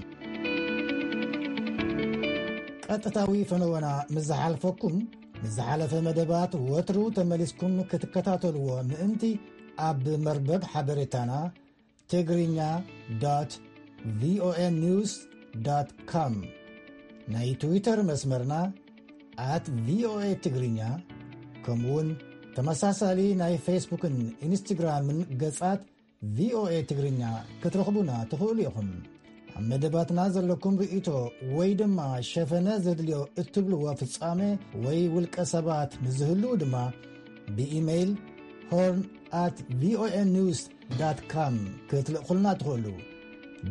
ቀጥታዊ ፈነወና ምስ ዝሓልፈኩም፣ ንዝሓለፈ መደባት ወትሩ ተመሊስኩም ክትከታተልዎ ምእንቲ፣ ኣብ መርበብ ሓበሬታና ትግርኛ ዶት ቪኦኤ ኒውስ ዶት ኮም፣ ናይ ትዊተር መስመርና ኣት ቪኦኤ ትግርኛ፣ ከምኡውን ተመሳሳሊ ናይ ፌስቡክን ኢንስትግራምን ገጻት ቪኦኤ ትግርኛ ክትረኽቡና ትኽእሉ ኢኹም። ኣብ መደባትና ዘለኩም ርእይቶ ወይ ድማ ሸፈነ ዘድልዮ እትብልዎ ፍጻመ ወይ ውልቀ ሰባት ንዝህልዉ ድማ ብኢሜይል ሆርን ኣት ቪኦኤ ኒውስ ዳት ካም ክትልእኹልና ትኽእሉ።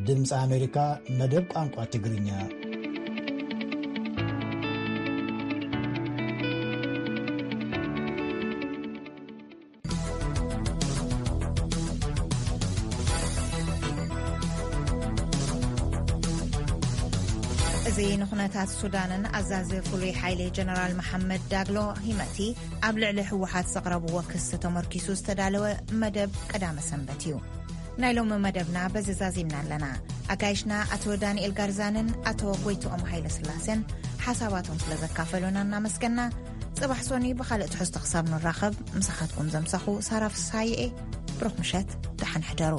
ድምፂ ኣሜሪካ፣ መደብ ቋንቋ ትግርኛ። እዚ ንኹነታት ሱዳንን ኣዛዚ ፍሉይ ሓይሊ ጀነራል መሓመድ ዳግሎ ሂመቲ ኣብ ልዕሊ ህወሓት ዘቕረብዎ ክሲ ተመርኪሱ ዝተዳለወ መደብ ቀዳመ ሰንበት እዩ። ናይ ሎሚ መደብና በዚ ዛዚምና ኣለና። ኣጋይሽና ኣቶ ዳንኤል ጋርዛንን ኣቶ ጎይትኦም ሃይለስላሴን ሓሳባቶም ስለ ዘካፈሉና እናመስገና፣ ጽባሕ ሶኒ ብኻልእ ትሕዝቶ ክሳብ ንራኸብ፣ ምሳኻትኩም ዘምሳኹ ሳራ ፍስሃየ እየ። ብሩኽ ምሸት፣ ደሓን ሕደሩ።